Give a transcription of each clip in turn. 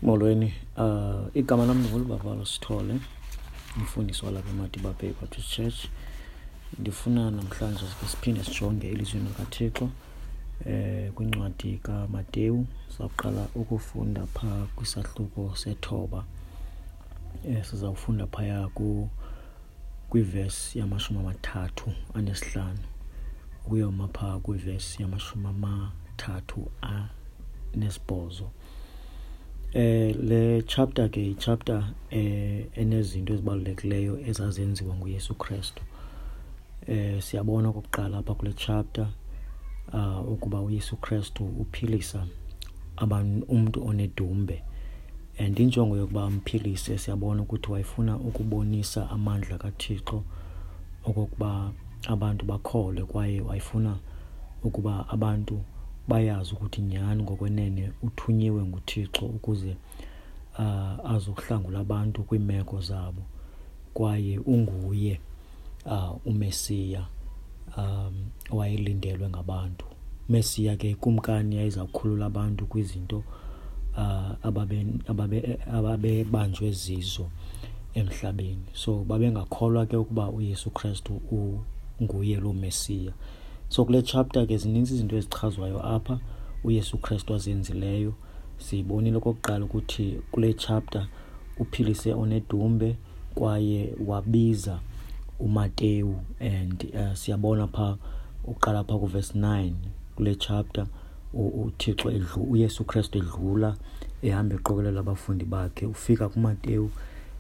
Molweni, igama lam ndinguLubabalo Sithole, umfundisi walapha eMadiba Bay Baptist Church. Ndifuna namhlanje ke siphinde sijonge elizwini likaThixo kwincwadi kaMateyu. Sizawuqala ukufunda phaa kwisahluko sethoba. Sizawufunda phaya kwivesi yama-35 ukuyoma phaa kwivesi yama-38. Le chapter ke yichapter enezinto ezibalulekileyo ezazenziwa nguYesu Krestu. Siyabona okokuqala apha kule chapter ukuba uYesu Krestu uphilisa umntu onedumbe. And injongo yokuba amphilise, siyabona ukuthi wayefuna ukubonisa amandla kaThixo okokuba abantu bakholwe, kwaye wayefuna ukuba abantu bayazi ukuthi nyhani ngokwenene uthunyiwe nguThixo ukuze azokuhlangula abantu kwiimeko zabo, kwaye unguye uMesiya owayelindelwe ngabantu. Mesiya ke ikumkani yayizawukhulula abantu kwizinto ababebanjwe zizo emhlabeni. So babengakholwa ke ukuba uYesu Krestu unguye loo Mesiya. So kule chapter ke zininzi izinto ezichazwayo apha uYesu Krestu azenzileyo. Sibonile okokuqala ukuthi kule chapter uphilise onedumbe kwaye wabiza uMateyu, and siyabona pha uqala pha kuverse 9 kule chapter uThixo uYesu Krestu edlula ehamba eqokelela abafundi bakhe, ufika kuMateyu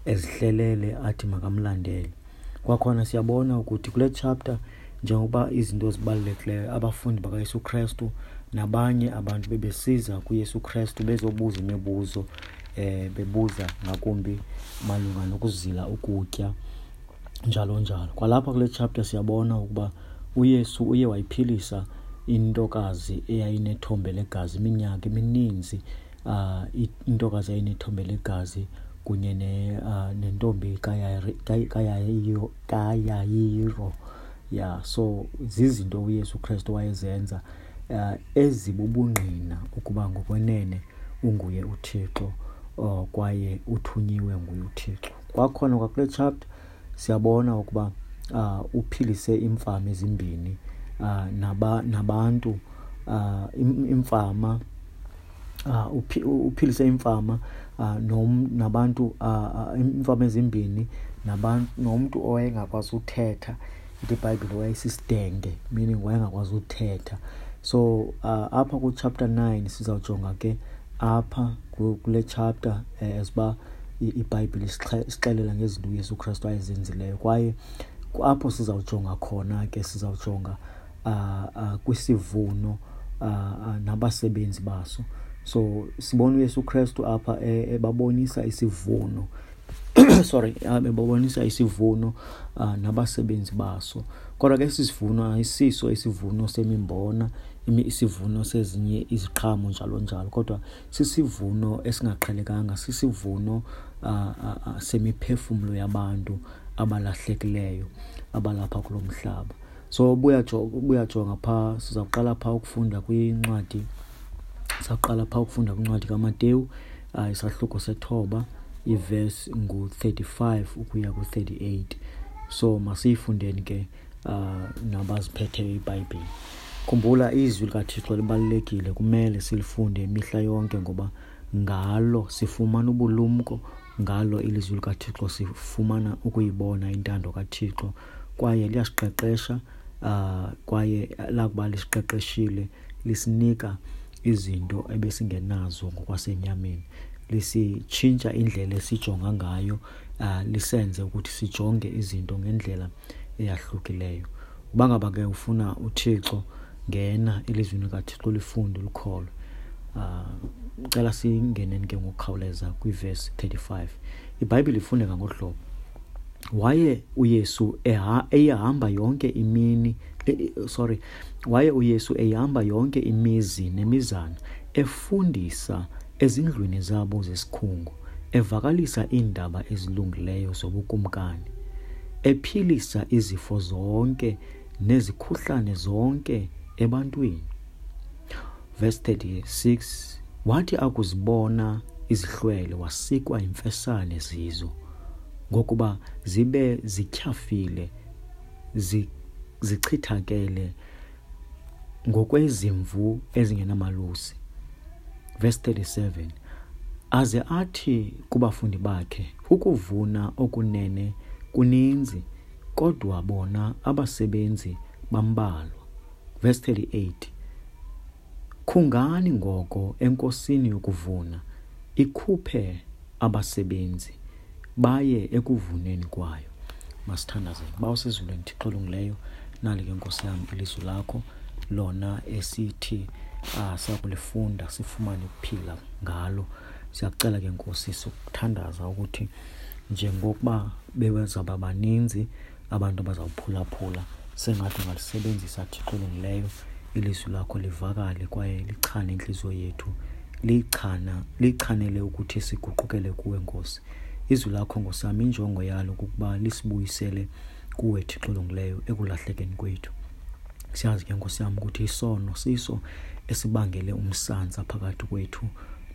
ezihlelele athi makamlandele. Kwakhona siyabona ukuthi kule chapter njengoba izinto ezibalulekileyo abafundi bakaYesu Krestu nabanye abantu bebesiza kuYesu Krestu bezobuza imibuzo, bebuza ngakumbi malunga nokuzila ukutya njalo njalo. Kwalapha kule chapter siyabona ukuba uYesu uye wayiphilisa intokazi eyayinethombe legazi iminyaka emininzi, intokazi eyayinethombe legazi kunye nentombi kaYayiro. So zizinto uYesu Krestu wayezenza ezibubungqina ukuba ngokwenene unguye uThixo, kwaye uthunyiwe nguye uThixo. Kwakhona kwakule chapter siyabona ukuba uphilise iimfama ezimbini, nabantu, imfama, uphilise imfama, nabantu, iimfama ezimbini nomntu owayengakwazi uthetha. Ithi iBhayibhile wayesisidenge, meaning wayengakwazi uthetha. So apha ku-chapter 9 sizawujonga ke apha kule chapter as uba iBhayibhile isixelela ngezinto uYesu Krestu ayezenzileyo, kwaye apho sizawujonga khona ke sizawujonga kwisivuno nabasebenzi baso. So sibona uYesu Krestu apha ebabonisa isivuno sorry, ebabonisa isivuno nabasebenzi baso. Kodwa ke esi sivuno ayisiso isivuno semimbona, isivuno sezinye iziqhamo njalo njalo, kodwa sisivuno esingaqhelekanga, sisivuno semiphefumlo yabantu abalahlekileyo abalapha kulo mhlaba. So buyajonga phaa, sizawuqala phaa ukufunda kwincwadi, sizawuqala phaa ukufunda kwincwadi kaMateyu, isahluko sethoba, ivesi ngu-35 ukuya ku-38. So masiyifundeni ke nabaziphetheyo iBhayibhile. Khumbula izwi likaThixo libalulekile, kumele silifunde imihla yonke ngoba ngalo sifumana ubulumko, ngalo ilizwi likaThixo sifumana ukuyibona intando kaThixo, kwaye liyasiqeqesha, kwaye lakuba lisiqeqeshile lisinika izinto ebesingenazo ngokwasenyameni, lisitshintsha indlela esijonga ngayo, lisenze ukuthi sijonge izinto ngendlela eyahlukileyo. Uba ngaba ke ufuna uThixo, ngena elizwini likaThixo, lifunde, ulikholwe. Cela singeneni ke ngokukhawuleza kwivesi 35. iBhayibhile ifundeka ngolu hlobo: waye uYesu eyahamba yonke imini, waye uYesu eyahamba yonke imizi nemizana, efundisa ezindlwini zabo zesikhungu, evakalisa iindaba ezilungileyo zobukumkani, ephilisa izifo zonke nezikhuhlane zonke ebantwini. Verse 36, wathi akuzibona izihlwele, wasikwa yimfesane zizo, ngokuba zibe zityhafile, zichithakele ngokwezimvu ezingenamalusi. Verse 37, aze athi kubafundi bakhe, ukuvuna okunene kuninzi, kodwa bona abasebenzi bambalwa. Verse 38, khungani ngoko enkosini yokuvuna, ikhuphe abasebenzi baye ekuvuneni kwayo. Masithandaze. Bawo osezulwini, Thixo olungileyo, nali ke Nkosi yam ilizwi lakho lona esithi sakulifunda sifumane ukuphila ngalo. Siyakucela ke Nkosi, sokuthandaza ukuthi njengokuba bewezaba baninzi abantu abazawuphulaphula, sengathi ungalisebenzisa Thixo olungileyo ilizwi lakho livakale kwaye lichane intliziyo yethu, lichanele ukuthi siguqukele kuwe Nkosi. Izwi lakho Nkosi yam, injongo yalo kukuba lisibuyisele kuwe Thixo olungileyo ekulahlekeni kwethu. Siyazi ke Nkosi yam ukuthi isono siso esibangele umsantsa phakathi kwethu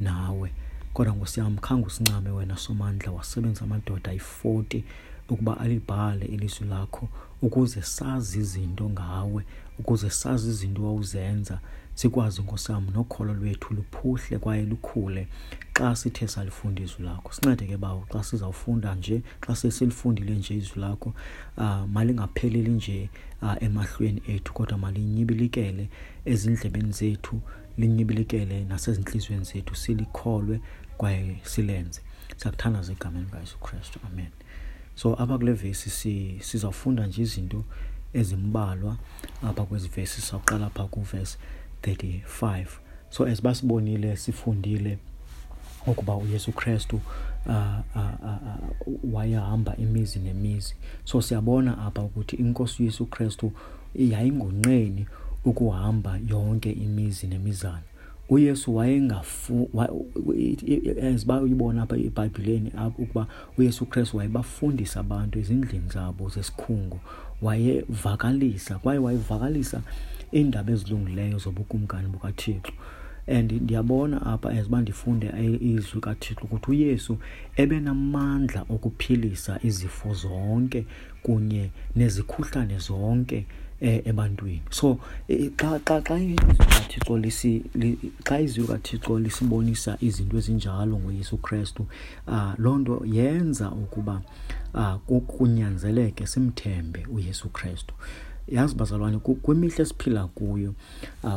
nawe, kodwa Nkosi yam khange usincame wena Somandla, wasebenzisa amadoda ayi-40 ukuba alibhale ilizwi lakho ukuze sazi izinto ngawe, ukuze sazi izinto wawuzenza, sikwazi Nkosi yam nokholo lwethu luphuhle kwaye lukhule xa sithe salifunda izwi lakho. Sincede ke Bawo xa sizawufunda nje, xa sesilifundile nje izwi lakho, malingapheleli nje emahlweni ethu, kodwa malinyibilikele ezindlebeni zethu, linyibilikele nasezintliziyweni zethu, silikholwe kwaye silenze. Siyakuthandaza egameni likaYesu Kristu, amen. So apha kule vesi sizawufunda nje izinto ezimbalwa apha kwezi vesi. Sizawuqala apha kuvesi 35. So as basibonile, sifundile ukuba uYesu Kristu wayehamba imizi nemizi. So siyabona apha ukuthi iNkosi uYesu Kristu yayingonqeni ukuhamba yonke imizi nemizana. uYesu as bayibona apha eBhayibhileni ukuba uYesu Kristu wayebafundisa abantu ezindlini zabo zesikhungo, wayevakalisa kwaye wayevakalisa iindaba ezilungileyo zobukumkani bukaThixo. And ndiyabona apha as uba ndifunde izwi kaThixo ukuthi uYesu ebenamandla okuphilisa izifo zonke kunye nezikhuhlane zonke ebantwini. So xa izwi kaThixo xa izwi kaThixo lisibonisa izinto ezinjalo ngoYesu Kristu, loo nto yenza ukuba kunyanzeleke simthembe uYesu Kristu. Yazi bazalwane, kwimihla esiphila kuyo,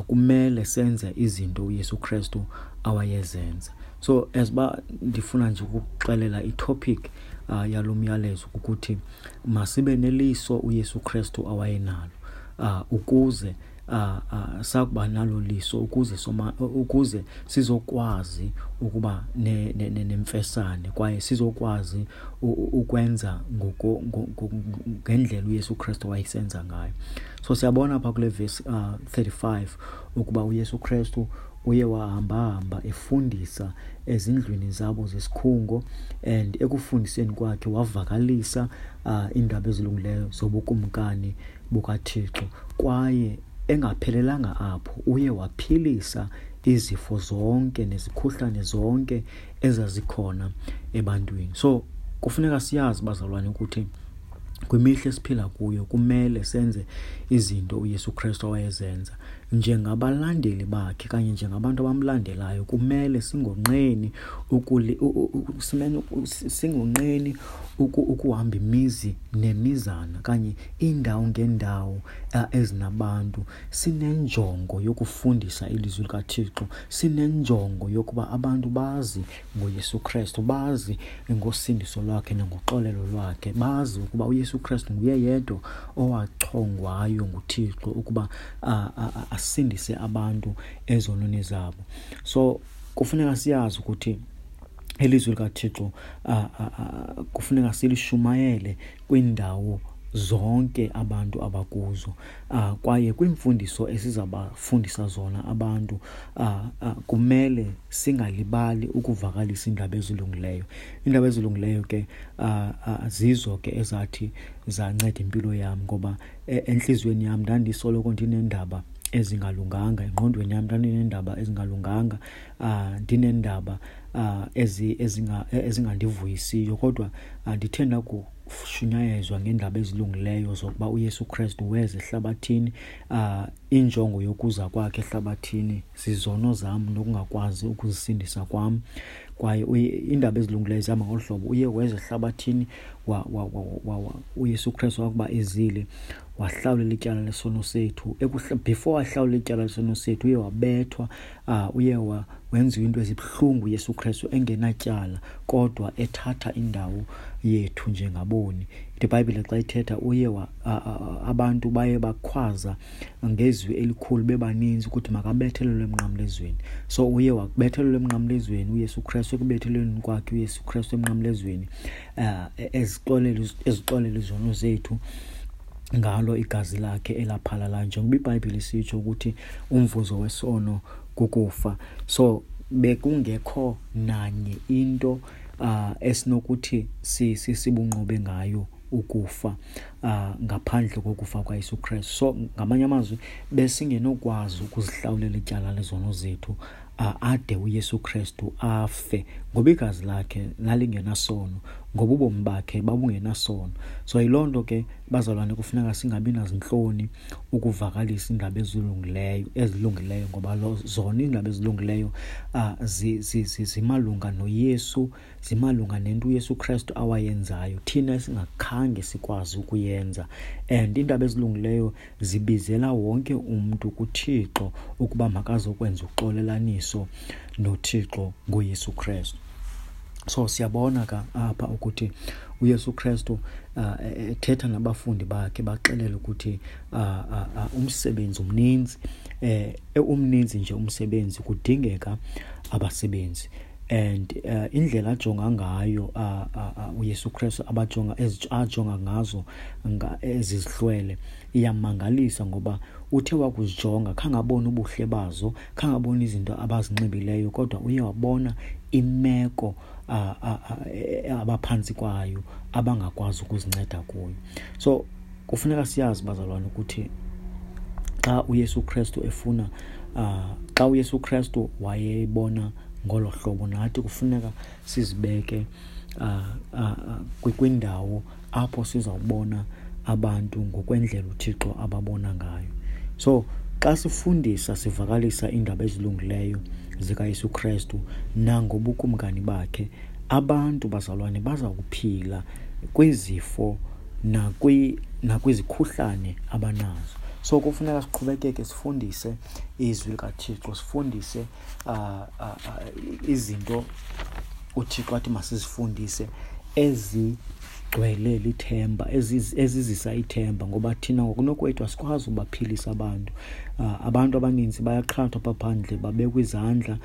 kumele senze izinto uYesu Kristu awayezenza. So as ba ndifuna nje ukuxelela itopic yalo myalezo ukuthi masibe neliso uYesu Kristu awayenalo, ukuze sakuba nalo liso, ukuze sizokwazi ukuba nemfesane kwaye sizokwazi ukwenza ngendlela uYesu Kristu wayesenza ngayo. So siyabona apha kule verse 35 ukuba uYesu Kristu uye wahamba-hamba efundisa ezindlwini zabo zesikhungo, and ekufundiseni kwakhe wavakalisa iindaba ezilungileyo zobukumkani bukaThixo. Kwaye engaphelelanga apho, uye waphilisa izifo zonke nezikhuhlane zonke ezazikhona ebantwini. So kufuneka siyazi bazalwane ukuthi kwimihla esiphila kuyo kumele senze izinto uYesu Kristu awayezenza. Njengabalandeli bakhe kanye njengabantu abamlandelayo, kumele singonqeni singonqeni ukuhamba imizi nemizana kanye iindawo ngeendawo ezinabantu, sinenjongo yokufundisa ilizwi likaThixo, sinenjongo yokuba abantu bazi ngoYesu Kristu, bazi ngosindiso lwakhe nangoxolelo lwakhe, bazi ukuba uYesu Kristu nguye yedwa owachongwayo nguThixo ukuba asindise abantu ezonweni zabo. So kufuneka siyazi ukuthi ilizwi likaThixo kufuneka silishumayele kwiindawo zonke abantu abakuzo, kwaye kwiimfundiso esizabafundisa zona abantu, kumele singalibali ukuvakalisa iindaba ezilungileyo. Iindaba ezilungileyo ke zizo ke ezathi zanceda impilo yam, ngoba entliziyweni yam ndandisoloko ndinendaba ezingalunganga engqondweni yam, ndandineendaba ezingalunganga, ndineendaba ezingandivuyisiyo. Kodwa ndithe ndakushunyayezwa ngeendaba ezilungileyo zokuba uYesu Krestu weza ehlabathini, injongo yokuza kwakhe ehlabathini zizono zam nokungakwazi ukuzisindisa kwam. Kwaye iindaba ezilungileyo zihamba ngolu hlobo: uye weza ehlabathini, uYesu Krestu wakuba ezile wahlawulela ityala lesono sethu. Before ahlawule ityala lesono sethu uye wabethwa, uye wenziwa into ezibuhlungu uYesu Krestu engenatyala, kodwa ethatha indawo yethu njengaboni. Ithi iBhayibhile xa ithetha uye abantu baye bakhwaza ngezwi elikhulu bebaninzi ukuthi makabethelelwe emnqamlezweni. So uye wakubethelelwa emnqamlezweni uYesu Krestu. Ekubethelelweni kwakhe uYesu Krestu emnqamlezweni, ezixolela izono zethu ngalo igazi lakhe elaphalalayo, njengoba iBhayibhile isitsho ukuthi umvuzo wesono kukufa. So bekungekho nanye into esinokuthi sibunqobe ngayo ukufa ngaphandle kokufa kwaYesu Krestu. So ngamanye amazwi besingenokwazi ukuzihlawulela ityala lezono zethu ade uYesu Krestu afe, ngoba igazi lakhe lalingenasono, ngoba ubomi bakhe babungenasono. So yiloo nto ke bazalwane kufuneka singabi nazintloni ukuvakalisa iindaba ezilungileyo, ngoba zona iindaba ezilungileyo zimalunga noYesu, zimalunga nento uYesu Krestu awayenzayo thina esingakhange sikwazi ukuyenza. And iindaba ezilungileyo zibizela wonke umntu kuThixo ukuba makazokwenza uxolelaniso noThixo ngoYesu Krestu. So siyabona ka apha ukuthi uYesu Krestu ethetha nabafundi bakhe, baxelela ukuthi umsebenzi umninzi, umninzi nje umsebenzi, kudingeka abasebenzi. And indlela ajonga ngayo uYesu Krestu ajonga ngazo ezi zihlwele iyamangalisa, ngoba uthe wakuzijonga khange abone ubuhle bazo, khange abone izinto abazinxibileyo, kodwa uye wabona imeko abaphantsi kwayo abangakwazi ukuzinceda kuyo. So kufuneka siyazi bazalwane ukuthi xa uYesu Krestu efuna, xa uYesu Krestu wayebona ngolo hlobo, nathi kufuneka sizibeke kwindawo apho sizawubona abantu ngokwendlela uThixo ababona ngayo. So xa sifundisa sivakalisa iindaba ezilungileyo zikaYesu Krestu nangobukumkani bakhe, abantu bazalwane baza kuphila kwizifo nakwizikhuhlane abanazo. So kufuneka siqhubekeke sifundise izwi likaThixo, sifundise izinto uThixo athi masizifundise ezigcwele lithemba, ezizisa ithemba, ngoba thina ngokunokwethu asikwazi ubaphilisa abantu. Abantu abaninzi bayaqhathwa apha phandle, babekwa izandla,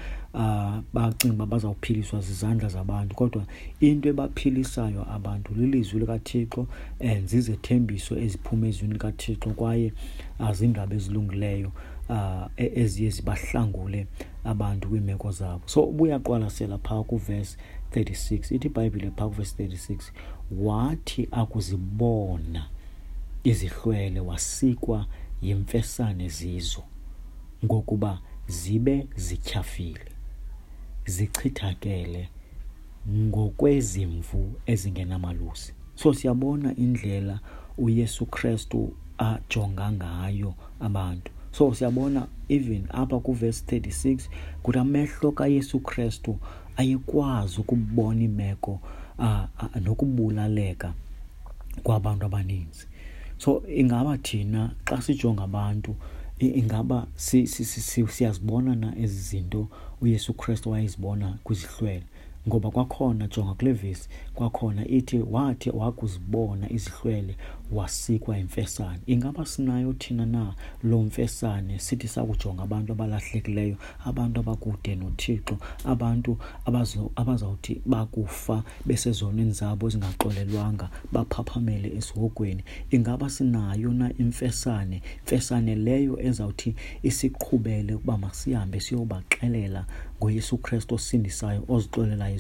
bacinga uba bazawuphiliswa zizandla zabantu, kodwa into ebaphilisayo abantu lilizwi likaThixo and zizethembiso eziphuma ezwini likaThixo, kwaye ziindaba ezilungileyo eziye zibahlangule abantu kwiimeko zabo. So ubuyaqwalasela phaa kuvesi 36, ithi iBhayibhile phaa kuvesi 36, wathi akuzibona izihlwele wasikwa yimfesane zizo, ngokuba zibe zityhafile, zichithakele ngokwezimvu ezingenamalusi. So siyabona indlela uYesu Krestu ajonga ngayo abantu. So siyabona even apha kuvesi 36 ukuthi amehlo kaYesu Krestu ayekwazi ukubona imeko nokubulaleka kwabantu abaninzi. So ingaba thina xa sijonga abantu, ingaba siyazibona na ezi zinto uYesu Krestu wayezibona kwizihlwele? Ngoba kwakhona jonga kule vesi, kwakhona ithi wathi wakuzibona izihlwele wasikwa imfesane. Ingaba sinayo thina na loo mfesane sithi sakujonga abantu abalahlekileyo, abantu abakude noThixo, abantu abazawuthi bakufa besezonweni zabo ezingaxolelwanga baphaphamele esihogweni? Ingaba sinayo na imfesane, imfesane leyo ezawuthi isiqhubele ukuba masihambe siyobaxelela ngoYesu Kristu osindisayo, ozixolelayo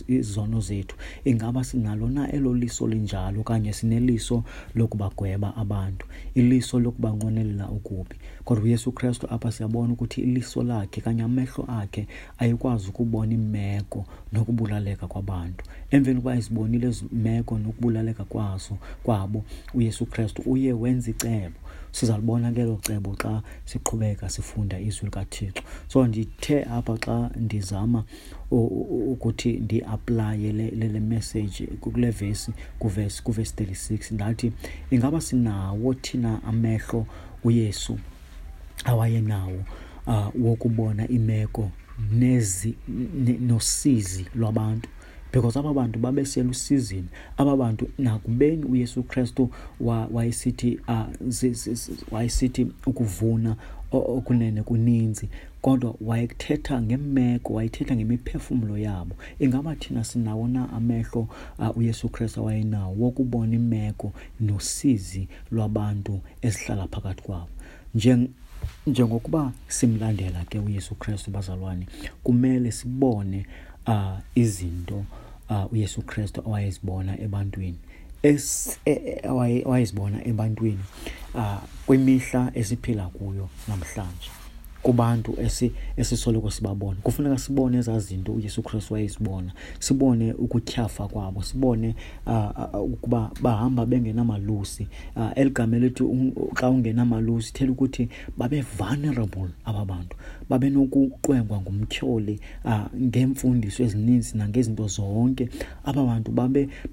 izono zethu. Ingaba sinalo na elo liso linjalo, okanye sineliso lokubagweba abantu, iliso lokubanqwenelela okubi? Kodwa uYesu Kristu apha siyabona ukuthi iliso lakhe kanye amehlo akhe ayekwazi ukubona imeko nokubulaleka kwabantu. Emveni kokuba ezibonile ezi meko nokubulaleka kwabo, uYesu Kristu uye wenza icebo. Sizalibona ke elo cebo xa siqhubeka sifunda izwi likaThixo. So ndithe apha xa ndizama ukuthi ndi-aplaye le message kule vesi, kuvesi 36, ndathi ingaba sinawo thina amehlo uYesu awayenawo wokubona imeko nosizi lwabantu, because aba bantu babeselusizini. Aba bantu, nakubeni uYesu Kristu wayesithi ukuvuna okunene kuninzi, kodwa wayethetha ngemeko, wayethetha ngemiphefumlo yabo. Ingaba thina sinawo na amehlo uYesu Kristu awayenawo wokubona imeko nosizi lwabantu esihlala phakathi kwabo? Njengokuba simlandela ke uYesu Kristu, bazalwane, kumele sibone izinto uYesu Kristu awayezibona ebantwini, awayezibona ebantwini kwimihla esiphila kuyo namhlanje, kubantu esisoloko sibabona. Kufuneka sibone ezaa zinto uYesu Kristu wayezibona, sibone ukutyhafa kwabo, sibone ukuba bahamba bengenamalusi. Eli gama elithi xa ungenamalusi ithela ukuthi babe vulnerable aba bantu, babenokuqwengwa ngumtyholi ngeemfundiso ezininzi nangezinto zonke. Aba bantu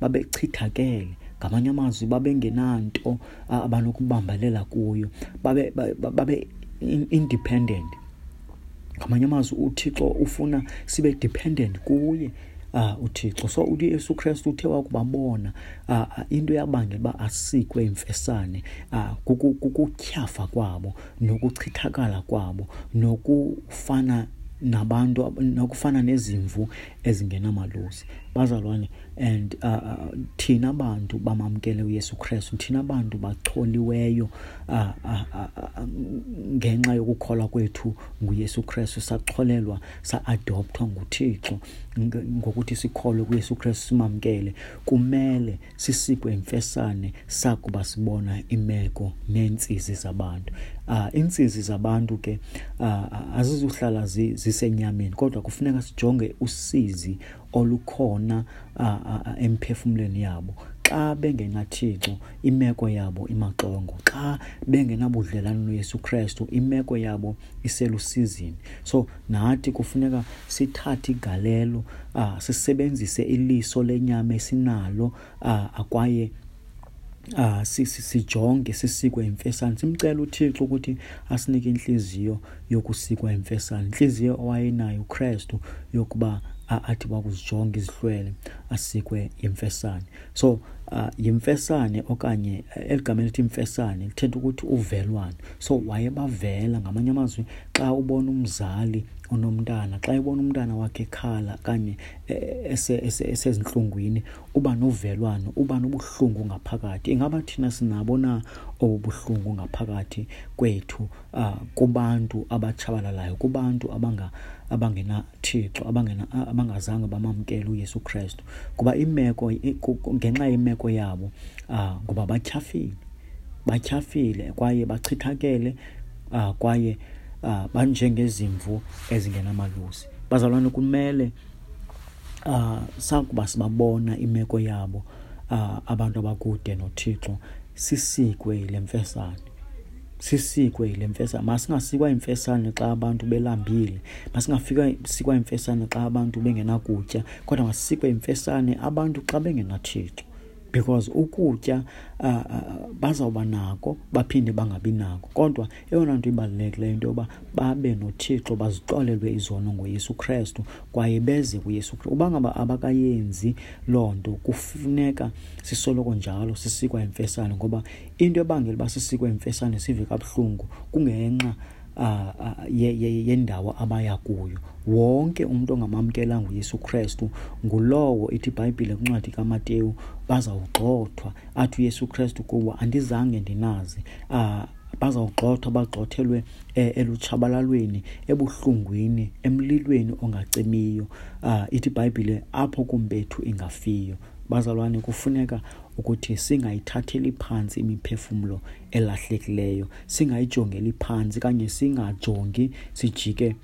babechithakele, ngamanye amazwi babengenanto abanokubambelela kuyo, babe independent. Ngamanye amazwi uThixo ufuna sibe dependent kuye, uThixo. So uYesu Kristu uthe wakubabona, into eyabangela uba asikwe imfesane, kukutyhafa kwabo nokuchithakala kwabo nokufana nabantu, nokufana nezimvu ezingenamalusi. Bazalwane, and thina bantu bamamkele uYesu Kristu, thina bantu bacholiweyo ngenxa yokukholwa kwethu nguYesu Kristu, sacholelwa, sa-adoptwa nguThixo ngokuthi sikholwe kuYesu Kristu, simamkele, kumele sisikwe imfesane sakuba sibona imeko neentsizi zabantu. Iintsizi zabantu ke azizuhlala zisenyameni, kodwa kufuneka sijonge usizi olukhona emphefumlweni yabo. Xa bengenaThixo, imeko yabo imaxongo. Xa bengenabudlelwane noYesu Kristu, imeko yabo iselusizini. So nathi kufuneka sithathe igalelo, sisebenzise iliso lenyama esinalo, kwaye sijonge, sisikwe imfesane. Simcele uThixo ukuthi asinike inhliziyo yokusikwa imfesane, inhliziyo owayenayo uKristu yokuba athi wakuzijonga izihlwele asikwe imfesane. So yimfesane, okanye eli gama elithi imfesane lithetha ukuthi uvelwano. So wayebavela, ngamanye amazwi, xa ubona umzali onomntana, xa ebona umntana wakhe ekhala okanye esezintlungwini, uba novelwano, uba nobuhlungu ngaphakathi. Ingaba thina sinabo na obu buhlungu ngaphakathi kwethu, kubantu abatshabalalayo, kubantu abangenaThixo, abangazange bamamkele uYesu Kristu? Kuba ngenxa yemeko yabo, ngoba batyhafile kwaye bachithakele, kwaye banjengezimvu ezingenamalusi. Bazalwane, kumele sakuba sibabona imeko yabo, abantu abakude noThixo, sisikwe yile mfesane. Sisikwe yile mfesane. Masingasikwa imfesane xa abantu belambile, masingafikwa sikwa imfesane xa abantu bengenakutya, kodwa masikwe imfesane abantu xa bengenaThixo. Because ukutya bazawuba nako, baphinde bangabi nako. Kodwa eyona nto ibalulekileyo into yoba babe noThixo, bazixolelwe izono ngoYesu Kristu kwaye beze kuYesu Kristu. Uba ngaba abakayenzi loo nto, kufuneka sisoloko njalo sisikwa imfesane, ngoba into ebangela uba sisikwe imfesane sive kabuhlungu kungenxa yendawo abaya kuyo. Wonke umntu ongamamkelanga uYesu Kristu ngulowo ithi iBhayibhile kwincwadi kaMateyu bazawugxothwa, athi uYesu Kristu kubo, andizange ndinazi. Bazawugxothwa, bagxothelwe elutshabalalweni, ebuhlungwini, emlilweni ongacimiyo. Ithi iBhayibhile apho kumbethu ingafiyo. Bazalwane, kufuneka ukuthi singayithatheli phantsi imiphefumlo elahlekileyo, singayijongeli phantsi kanye singajongi sijike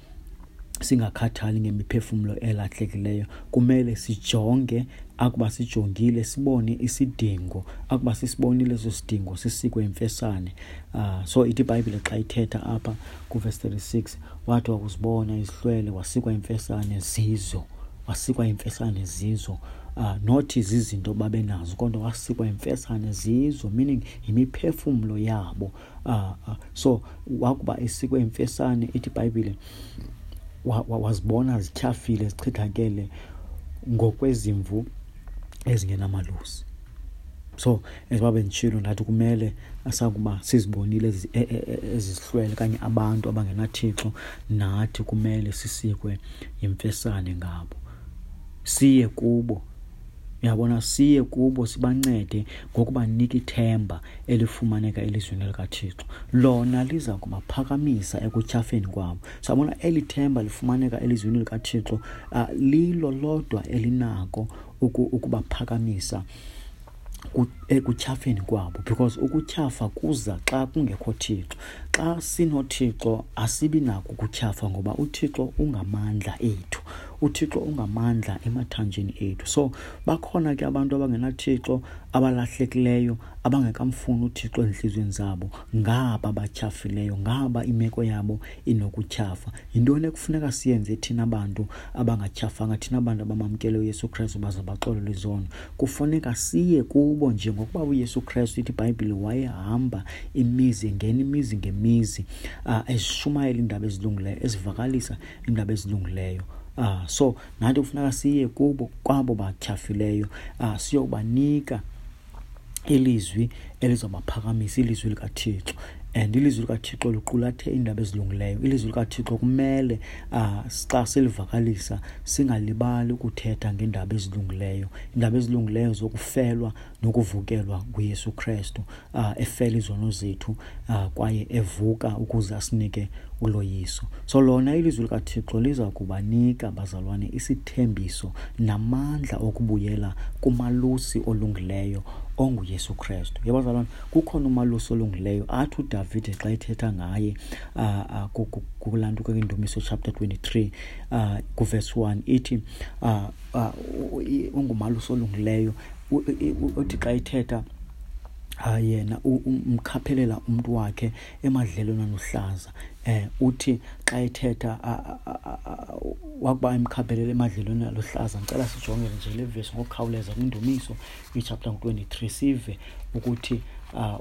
singakhathali ngemiphefumlo elahlekileyo. Kumele sijonge, akuba sijongile sibone isidingo, akuba sisibonile eso sidingo sisikwe imfesane. So ithi iBhayibhile xa ithetha apha kuvesi 36, wathi wakuzibona izihlwele wasikwa imfesane zizo, wasikwa imfesane zizo. Nothi zizinto babenazo, kodwa wasikwa imfesane zizo, meaning yimiphefumlo yabo. So wakuba esikwe imfesane, ithi iBhayibhile wazibona zityhafile, zichithakele ngokwezimvu ezingenamalusi. So as benditshilo ndathi kumele asakuba sizibonile ezizihlwele okanye abantu abangenaThixo, nathi kumele sisikwe yimfesane ngabo, siye kubo. Uyabona, siye kubo sibancede ngokubanika ithemba elifumaneka elizwini likaThixo. Lona liza kubaphakamisa ekutyhafeni kwabo. Siyabona eli themba lifumaneka elizwini likaThixo, lilo lodwa elinako ukubaphakamisa ekutyhafeni kwabo, because ukutyhafa kuza xa kungekho Thixo. Xa sinoThixo asibi nako ukutyhafa, ngoba uThixo ungamandla ethu, uThixo ungamandla emathanjeni ethu. So bakhona ke abantu abangenaThixo, abalahlekileyo, abangekamfuni uThixo ezintliziyweni zabo, ngaba batyhafileyo, ngaba imeko yabo inokutyhafa. Yintoni ekufuneka siyenze thina bantu abangatyhafanga, thina bantu abamamkele uYesu Krestu baze baxolelwe izono? Kufuneka siye kubo njengokuba uYesu Krestu, ithi iBhayibhile, wayehamba imizi, engena imizi ngemizi, eshumayela iindaba ezilungileyo, ezivakalisa iindaba ezilungileyo. So nathi kufuneka siye kubo, kwabo batyhafileyo, siyobanika ilizwi elizobaphakamisa, ilizwi likaThixo. And ilizwi likaThixo liqulathe iindaba ezilungileyo. Ilizwi likaThixo kumele xa silivakalisa singalibali ukuthetha ngeendaba ezilungileyo, iindaba ezilungileyo zokufelwa nokuvukelwa nguYesu Krestu, efela izono zethu, kwaye evuka ukuze asinike uloyiso. So lona ilizwi likaThixo liza kubanika, bazalwane, isithembiso namandla okubuyela kumalusi olungileyo onguYesu Krestu. Yebo bazalwane, kukhona umalusi olungileyo athi uDavide xa ethetha ngaye kulaa nto kwiNdumiso chapter 23, kuverse 1, ithi ungumalusi olungileyo. Uthi xa ethetha yena umkhaphelela umntu wakhe emadlelweni aluhlaza. Uthi xa ethetha wakuba emkhaphelela emadlelweni aluhlaza. Ndicela sijongele nje le vesi ngokukhawuleza kwiNdumiso ichapter 23, sive ukuthi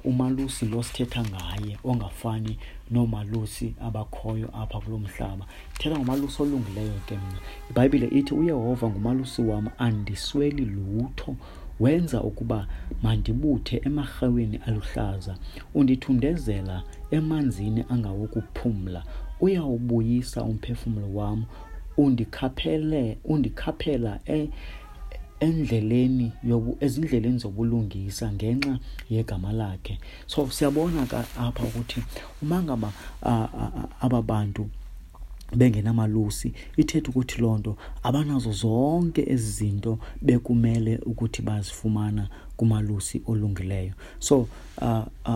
umalusi lo sithetha ngaye ongafani noomalusi abakhoyo apha kulo mhlaba. Thetha ngomalusi olungileyo ke mna. IBhayibhile ithi uYehova ngumalusi wam, andisweli lutho. Wenza ukuba mandibuthe emarheweni aluhlaza, undithundezela emanzini angawokuphumla. Uyawubuyisa umphefumlo wam, undikhaphela endleleni ezindleleni zobulungisa ngenxa yegama lakhe. So siyabona ka apha ukuthi uma ngaba aba bantu bengenamalusi, ithetha ukuthi loo nto abanazo zonke ezi zinto bekumele ukuthi bazifumana kumalusi olungileyo. So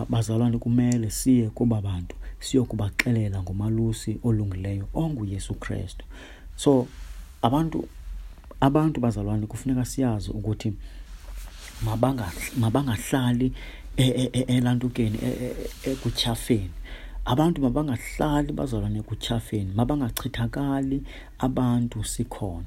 bazalwane, kumele siye kuba bantu siyokubaxelela ngomalusi olungileyo onguYesu Krestu. So abantu bazalwane kufuneka siyazi ukuthi mabangahlali elantukeni, ekutyhafeni. Abantu mabangahlali bazalwane ekutyhafeni, mabangachithakali abantu sikhona.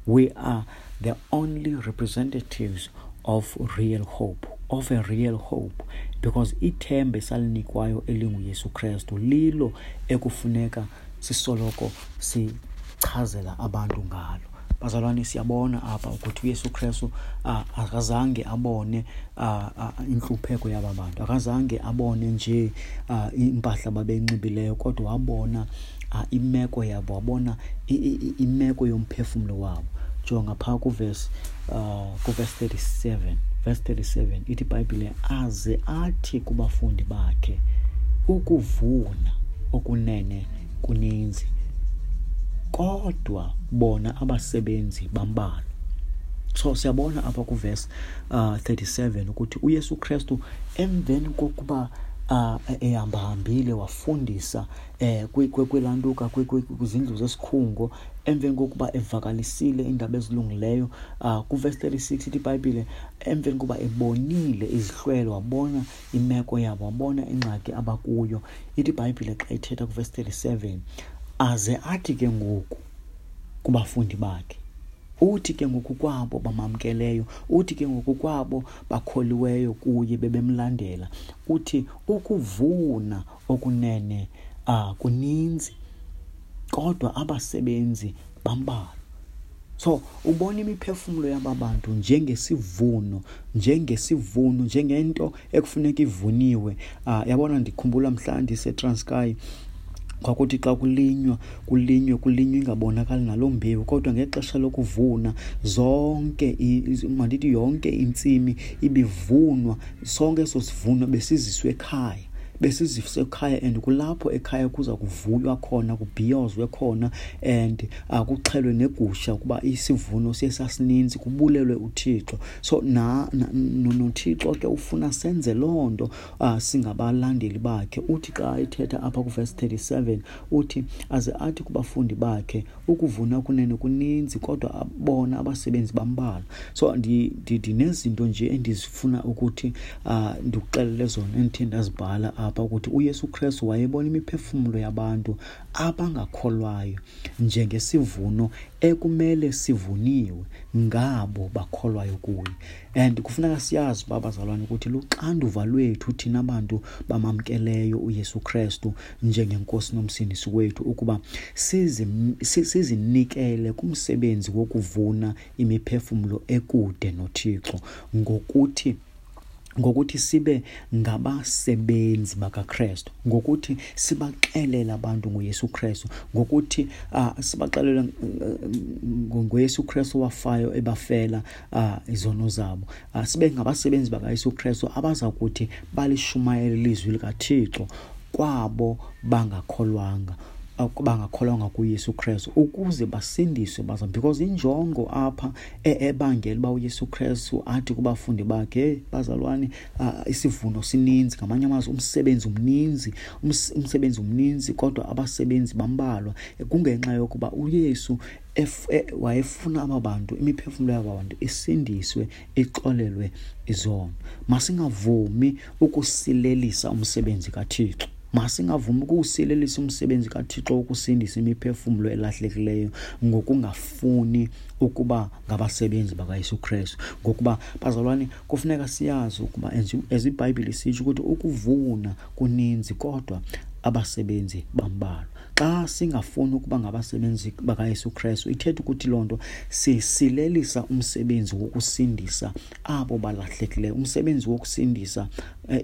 We are the only representatives of real hope, of a real hope, because ithemba esalinikwayo elinguYesu Krestu lilo ekufuneka sisoloko sichazela abantu ngalo. Bazalwane, siyabona apha ukuthi uYesu Krestu akazange abone intlupheko yaba bantu, akazange abone nje impahla babenxibileyo, kodwa wabona imeko yabo, wabona imeko yomphefumlo wabo. Jonga phaa kuvesi 37, verse 37 ithi iBhayibhile, aze athi kubafundi bakhe, ukuvuna okunene kuninzi, kodwa bona abasebenzi bambalwa. So siyabona apha kuvesi 37 ukuthi uYesu Kristu emveni kokuba ehambahambile wafundisa kwilantuka kwizindlu zesikhungo, emveni kokuba evakalisile iindaba ezilungileyo, kuvesi 36 ithi iBhayibhile emveni kokuba ebonile izihlwele, wabona imeko yabo, wabona ingxaki abakuyo, ithi iBhayibhile xa ithetha kuvesi 37 aze athi ke ngoku kubafundi bakhe, uthi ke ngoku kwabo bamamkeleyo, uthi ke ngoku kwabo bakholiweyo kuye bebemlandela, uthi ukuvuna okunene kuninzi, kodwa abasebenzi bambalwa. So ubona imiphefumlo yaba bantu njengesivuno, njengesivuno, njengento ekufuneka ivuniwe. Yabona, ndikhumbula mhla ndiseTranskei, kwakuthi xa kulinywa, kulinywe, kulinywe ingabonakali naloo mbewu, kodwa ngexesha lokuvuna zonke, mandithi yonke intsimi ibivunwa, sonke eso sivuno besiziswe ekhaya, besiziswe ekhaya, and kulapho ekhaya kuza kuvuywa khona, kubhiyozwe khona, and kuxhelwe negusha ukuba isivuno siye sasininzi, kubulelwe uThixo. So noThixo ke ufuna senze loo nto, singabalandeli bakhe. Uthi xa ethetha apha kuvesi 37 uthi aze athi kubafundi bakhe ukuvuna kunene kuninzi, kodwa bona abasebenzi bambalwa. So ndinezinto nje endizifuna ukuthi ndikuxelele zona endithe ndazibhala apha, ukuthi uYesu Kristu wayebona imiphefumlo yabantu abangakholwayo njengesivuno ekumele sivuniwe ngabo bakholwayo kuye. And kufuneka siyazi uba bazalwane ukuthi luxanduva lwethu thina bantu bamamkeleyo uYesu Kristu njengenkosi nomsindisi wethu ukuba sizinikele kumsebenzi wokuvuna imiphefumlo ekude noThixo ngokuthi sibe ngabasebenzi bakaKristu, ngokuthi sibaxelele abantu ngoYesu Kristu, ngokuthi sibaxelele ngoYesu Kristu owafayo ebafela izono zabo. Sibe ngabasebenzi bakaYesu Kristu abaza kuthi balishumayele ilizwi likaThixo kwabo bangakholwanga, bangakholwanga kuYesu Kristu, ukuze basindiswe baza. Because injongo apha ebangela uba uYesu Kristu athi kubafundi bakhe, hey bazalwane, isivuno sininzi, ngamanye amazwi umsebenzi umninzi, umsebenzi umninzi kodwa abasebenzi bambalwa, kungenxa yokuba uYesu wayefuna aba bantu, imiphefumlo yaba bantu isindiswe, ixolelwe izono. Masingavumi ukusilelisa umsebenzi kaThixo. Masingavumi ukuwusilelisa umsebenzi kaThixo wokusindisa imiphefumlo elahlekileyo ngokungafuni ukuba ngabasebenzi bakaYesu Kristu. Ngokuba bazalwane, kufuneka siyazi ukuba as iBhayibhile isitsho ukuthi ukuvuna kuninzi kodwa abasebenzi bambalwa. Xa singafuni ukuba ngabasebenzi bakaYesu Kristu, ithetha ukuthi loo nto sisilelisa umsebenzi wokusindisa abo balahlekileyo, umsebenzi wokusindisa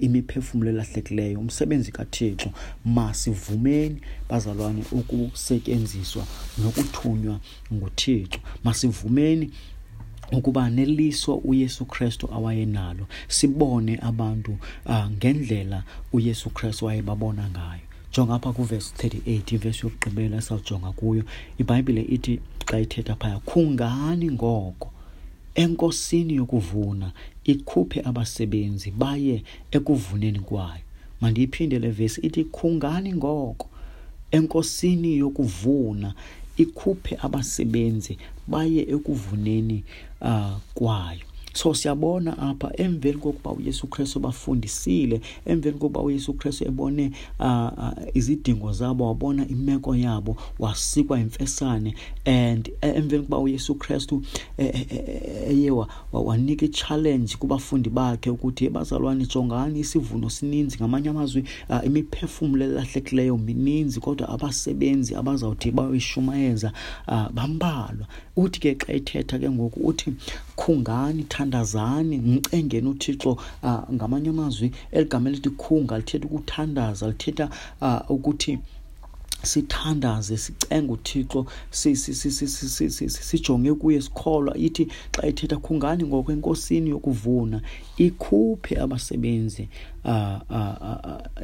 imiphefumlo elahlekileyo, umsebenzi kaThixo. Masivumeni bazalwane ukusetyenziswa nokuthunywa nguThixo. Masivumeni ukuba neliso uYesu Kristu awayenalo, sibone abantu ngendlela uYesu Kristu wayebabona ngayo. Jonga apha kuvesi 38, ivesi yokugqibela esawujonga kuyo. IBhayibhile ithi xa ithetha phaya, khungani ngoko enkosini yokuvuna ikhuphe abasebenzi baye ekuvuneni kwayo. Mandiyiphinde le vesi, ithi khungani ngoko enkosini yokuvuna ikhuphe abasebenzi baye ekuvuneni kwayo. So siyabona apha emveni kokuba uYesu Kristu bafundisile, emveni kokuba uYesu Kristu ebone izidingo zabo, wabona imeko yabo, wasikwa imfesane, and emveni kokuba uYesu Kristu eye wanika i-challenge kubafundi bakhe ukuthi, bazalwane, jongani isivuno sininzi, ngamanye amazwi imiphefumlo elahlekileyo mininzi, kodwa abasebenzi abazawuthi bayoyishumayeza bambalwa. Uthi ke xa ethetha ke ngoku uthi khungani, thandazani, mcengeni uThixo. Ngamanye amazwi eli gama elithi khunga lithetha ukuthandaza, lithetha ukuthi Sithandaze, sicenge uThixo, sijonge kuye, sikholwa. Ithi xa ithetha, khungani ngoko eNkosini yokuvuna, ikhuphe abasebenzi,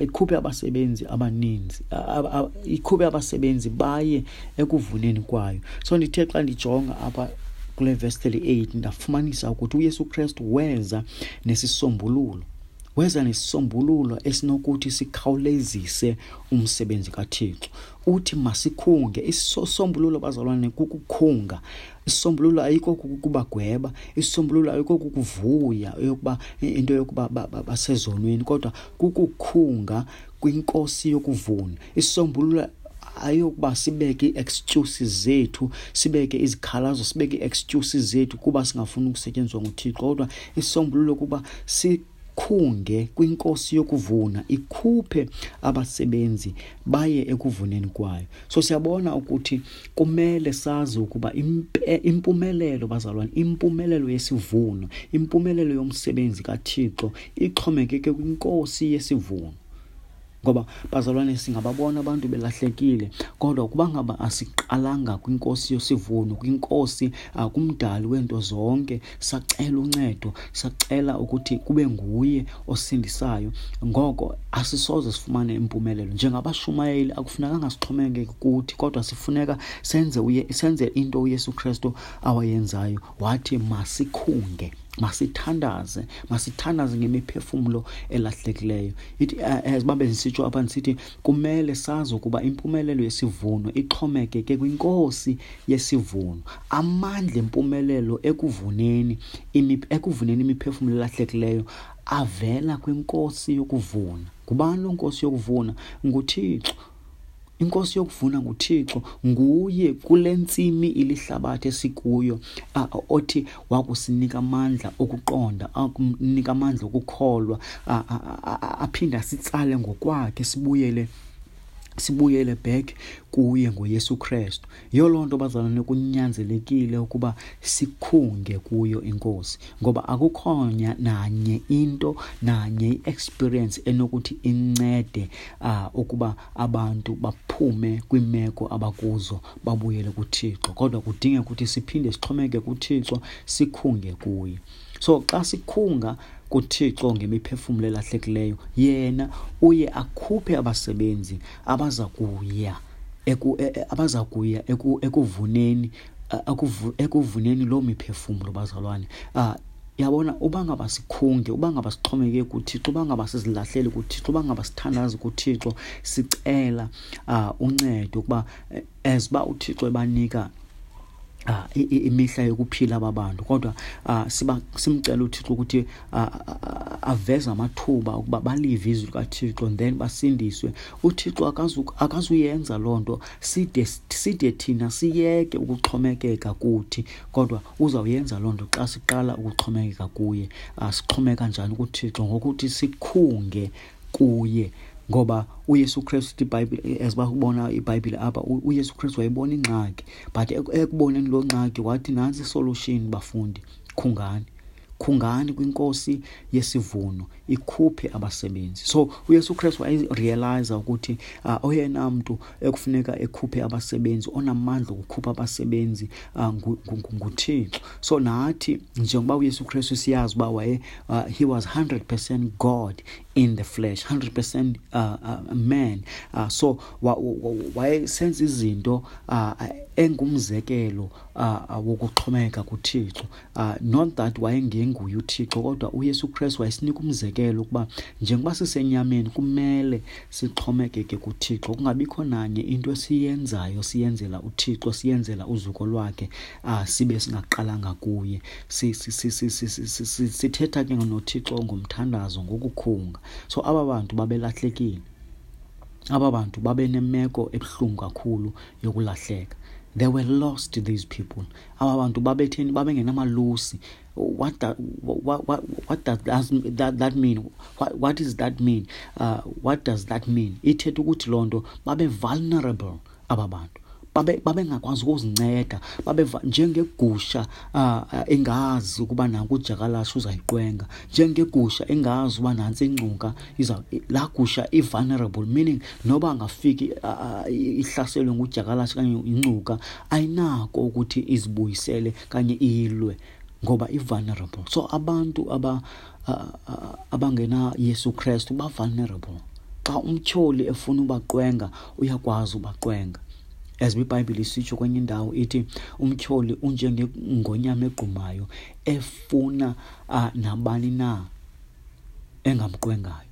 ikhuphe abasebenzi abaninzi, ikhuphe abasebenzi baye ekuvuneni kwayo. So ndithe xa ndijonga apha kule verse 38, ndafumanisa ukuthi uYesu Kristu weza nesisombululo, weza nesisombululo esinokuthi sikhawulezise umsebenzi kaThixo. Uthi masikhunge. Isisombululo, bazalwane, kukukhunga. Isisombululo ayikho kukubagweba, isisombululo ayikho kukuvuya yokuba into yokuba basezonweni, kodwa kukukhunga kwiNkosi yokuvuna. Isisombululo ayokuba sibeke ii-excuses zethu, sibeke izikhalazo, sibeke ii-excuses zethu kuba singafuni ukusetyenziswa nguThixo, kodwa isisombululo kuba sikhunge kwiNkosi yokuvuna, ikhuphe abasebenzi baye ekuvuneni kwayo. So siyabona ukuthi kumele sazi ukuba impumelelo, bazalwane, impumelelo yesivuno, impumelelo yomsebenzi kaThixo ixhomekeke kwiNkosi yesivuno. Ngoba, bazalwane, singababona abantu belahlekile, kodwa ukuba ngaba asiqalanga kwiNkosi yosivuno, kwiNkosi, kumdali weento zonke, sacela uncedo, sacela ukuthi kube nguye osindisayo, ngoko asisoze sifumane impumelelo. Njengabashumayeli akufunekanga sixhomekeke kuthi, kodwa sifuneka senze into uYesu Kristu awayenzayo. Wathi masikhunge, masithandaze, masithandaze ngemiphefumlo elahlekileyo. Ithi as babe ndisitsho apha, ndisithi kumele sazi ukuba impumelelo yesivuno ixhomekeke kwiNkosi yesivuno. Amandla empumelelo ekuvuneni imiphefumlo elahlekileyo avela kwiNkosi yokuvuna. Ngubani loo Nkosi yokuvuna? NguThixo. INkosi yokuvuna nguThixo. Nguye kule ntsimi ilihlabathi esikuyo, othi wakusinika amandla okuqonda, akunika amandla okukholwa, aphinde asitsale ngokwakhe, sibuyele back kuye ngoYesu Kristu. Yiyo loo nto, bazalwane, kunyanzelekile ukuba sikhunge kuyo iNkosi, ngoba akukho nanye into, nanye i-experience enokuthi incede ukuba abantu baphume kwimeko abakuzo babuyele kuThixo, kodwa kudingeka ukuthi siphinde sixhomeke kuThixo, sikhunge kuye. So xa sikhunga kuThixo ngemiphefumlo elahlekileyo, yena uye akhuphe abasebenzi abaza kuya ekuvuneni loo miphefumlo, bazalwane. Yabona, uba ngaba sikhunge, uba ngaba sixhomeke kuThixo, uba ngaba sizilahlele kuThixo, uba ngaba sithandaze kuThixo, sicela uncedo ukuba as uba uThixo ebanika imihla yokuphila aba bantu, kodwa siba simcela uThixo ukuthi aveze amathuba ukuba balive izwi likaThixo and then basindiswe. UThixo akazuyenza loo nto side thina siyeke ukuxhomekeka kuthi, kodwa uzawuyenza loo nto xa siqala ukuxhomekeka kuye. Sixhomeka njani kuThixo? Ngokuthi sikhunge kuye. Ngoba uYesu Kristu, iBhayibhile, as bakubona iBhayibhile apha, uYesu Kristu wayibona ingxaki, but ekuboneni loo ngxaki wathi nantsi isolution, bafundi, khungani, khungani kwiNkosi yesivuno, ikhuphe abasebenzi. So uYesu Kristu wayerealize ukuthi oyena mntu ekufuneka ekhuphe abasebenzi, onamandla okukhupha abasebenzi, nguThixo. So nathi njengoba uYesu Kristu siyazi uba he was 100% God in the flesh, 100% man. So wayesenza izinto engumzekelo wokuxhomeka kuThixo. Not that wayengenguye uThixo, kodwa uYesu Kristu wayesinika umzekelo ukuba njengoba sisenyameni kumele sixhomekeke kuThixo, kungabikho nanye into esiyenzayo siyenzela uThixo, siyenzela uzuko lwakhe, sibe singaqalanga kuye. Sithetha ke noThixo ngomthandazo, ngokukhunga. So aba bantu babelahlekile, aba bantu babenemeko ebuhlungu kakhulu yokulahleka. They were lost, these people. Aba bantu babetheni? Babengenamalusi. What does that mean? What is that mean? What does that mean? Ithetha ukuthi loo nto babe vulnerable aba bantu. Babengakwazi ukuzinceda, babeva njengegusha engazi ukuba nanku udyakalashe uzayiqwenga, njengegusha engazi uba nantsi ingcuka iza. Laa gusha i-vulnerable, meaning noba angafiki ihlaselwe ngudyakalashe okanye ingcuka, ayinako ukuthi izibuyisele kanye ilwe ngoba i-vulnerable. So abantu abangena Yesu Kristu ba-vulnerable. Xa umtyholi efuna ubaqwenga, uyakwazi ubaqwenga. As iBhayibhile isitsho kwenye indawo, ithi umtyholi unjengengonyama egqumayo efuna nabani na engamqwengayo.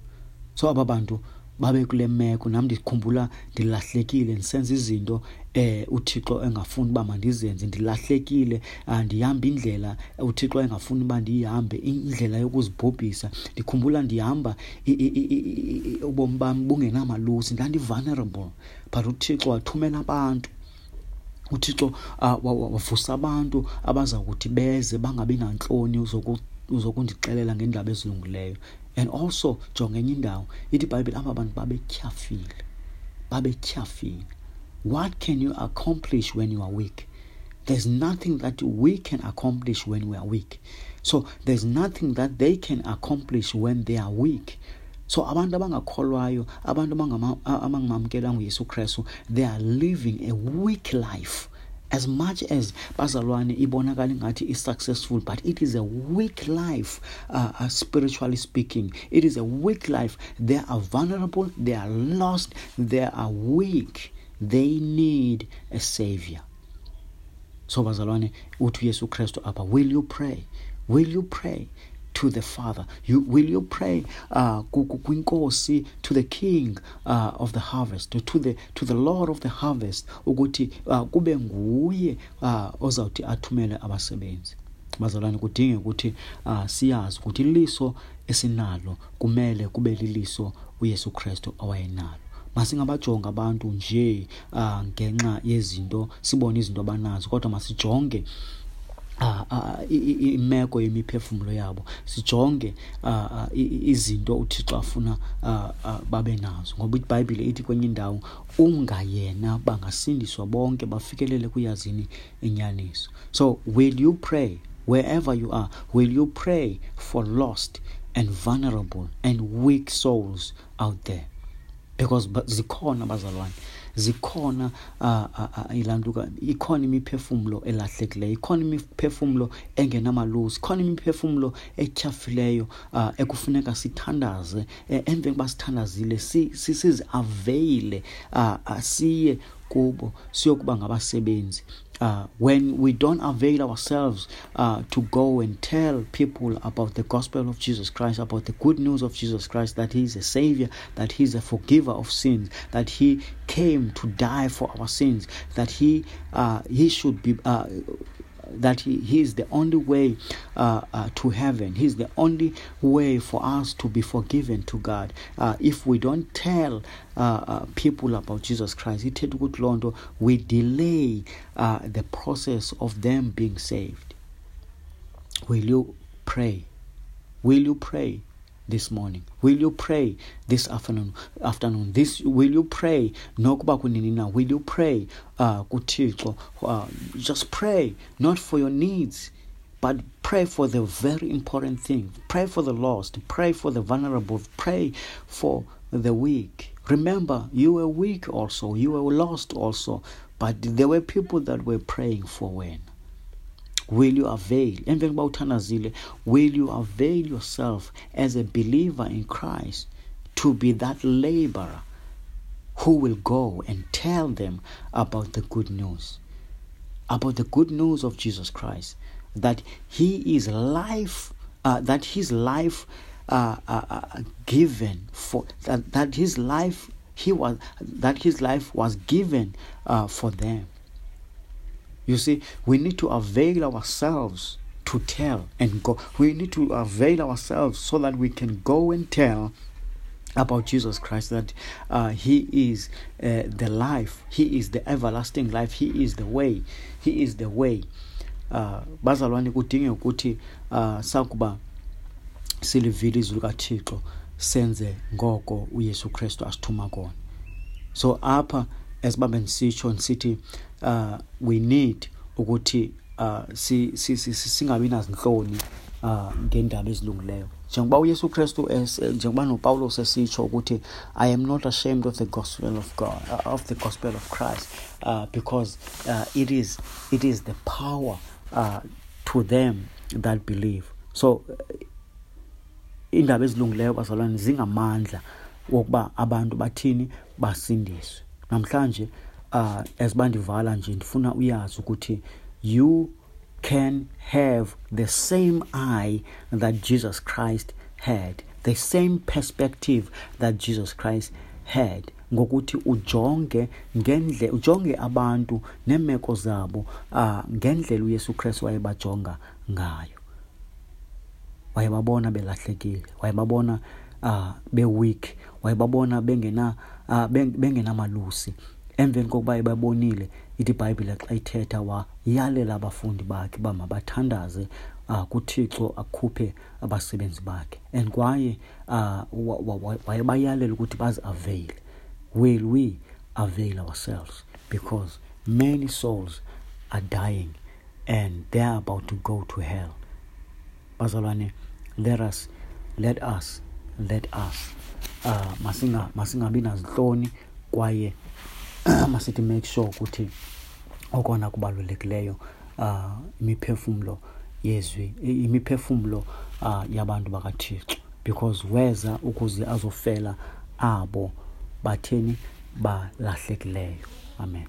So aba bantu babe kule meko. Nam ndikhumbula ndilahlekile, ndisenza izinto uThixo engafuni uba mandizenze, ndilahlekile, ndihamba indlela uThixo engafuni uba ndiyihambe, indlela yokuzibhubhisa. Ndikhumbula ndihamba ubomi bam bungenamalusi, ndandi-vulnerable, but uThixo wathumela abantu. UThixo wavusa abantu abaza kuthi beze bangabi nantloni uzokundixelela ngeendaba ezilungileyo. And also jonga enye indawo, ithi iBhayibhile aba bantu babetyhafile, babetyhafile. What can you accomplish when you are weak? There's nothing that we can accomplish when we are weak. So there's nothing that they can accomplish when they are weak. So abantu abangakholwayo, abantu abangamamkelanga uYesu Kristu, they are living a weak life. As much as bazalwane ibonakala ingathi is successful, but it is a weak life, spiritually speaking. It is a weak life. They are vulnerable, they are lost, they are weak. They need a savior. So bazalwane, uthi uYesu Kristu apha, will you pray? Will you pray to the Father? Will you pray kwinkosi, to the King of the harvest, to the Lord of the harvest, ukuthi kube nguye ozawuthi athumele abasebenzi? Bazalwane, kudinge ukuthi siyazi ukuthi iliso esinalo kumele kube liliso uYesu Kristu awayenalo. Masingabajonga abantu nje ngenxa yezinto, sibone izinto abanazo, kodwa masijonge imeko yemiphefumlo yabo, sijonge izinto uThixo afuna babe nazo. Ngoba iBhayibhile ithi kwenye indawo, ungayena bangasindiswa bonke bafikelele kuyazini inyaniso. So will you pray wherever you are? Will you pray for lost and vulnerable and weak souls out there? Because zikhona bazalwane, zikhona ilantuka, ikhona imiphefumlo elahlekileyo, ikhona imiphefumlo engenamalusi, ikhona imiphefumlo etyhafileyo ekufuneka sithandaze. Emveni kokuba sithandazile, siziaveyile, siye kubo siyokuba ngabasebenzi. When we don't avail ourselves to go and tell people about the gospel of Jesus Christ, about the good news of Jesus Christ, that he is a savior, that he is a forgiver of sins, that he came to die for our sins, that he should be, that he is the only way to heaven. He is the only way for us to be forgiven to God. If we don't tell people about Jesus Christ, we delay the process of them being saved. Will you pray? Will you pray this morning? Will you pray this afternoon? This, will you pray? Nokuba kunini na? Will you pray kuThixo? Just pray, not for your needs, but pray for the very important thing. Pray for the lost. Pray for the vulnerable. Pray for the weak. Remember, you were weak also. You were lost also. But there were people that were praying for when. Will you avail? Emveni kokuba uthandazile, will you avail yourself as a believer in Christ to be that laborer who will go and tell them about the good news? About the good news of Jesus Christ, that he is life, that his life given for that his life he was that his life was given for them. You see, we need to avail ourselves to tell and go. We need to avail ourselves so that we can go and tell about Jesus Christ, that he is the life. He is the everlasting life. He is the way. He is the way. Bazalwane, kudinge ukuthi sakuba silivile izwi likaThixo, senze ngoko uYesu Kristu asithuma kona. So apha esibabe ndisitsho ndisithi we need ukuthi singabi nazinhloni ngeendaba ezilungileyo. Njengoba uYesu Kristu, njengoba noPawulos esitsho ukuthi I am not ashamed of the gospel of God, of the gospel of Christ, because it is the power to them that believe. So iindaba ezilungileyo, bazalwane, zingamandla wokuba abantu bathini? Basindiswe. Namhlanje, as bandivala nje, ndifuna uyazi ukuthi you can have the same eye that Jesus Christ had, the same perspective that Jesus Christ had, ngokuthi ujonge ngendlela, ujonge abantu neemeko zabo ngendlela uYesu Kristu wayebajonga ngayo. Wayebabona belahlekile, wayebabona be-weak, wayebabona bengenamalusi. Emveni kokuba ebabonile, ithi iBhayibhile xa ithetha, wayalela abafundi bakhe uba mabathandaze kuThixo akhuphe abasebenzi bakhe, and kwaye wayebayalela ukuthi bazi-avail. Will we avail ourselves? Because many souls are dying and they are about to go to hell. Bazalwane, let us masingabi nazintloni, kwaye masithi make sure ukuthi okona kubalulekileyo, imiphefumlo yezwi, imiphefumlo yabantu bakaThixo, because weza ukuze azofela abo batheni? Balahlekileyo. Amen.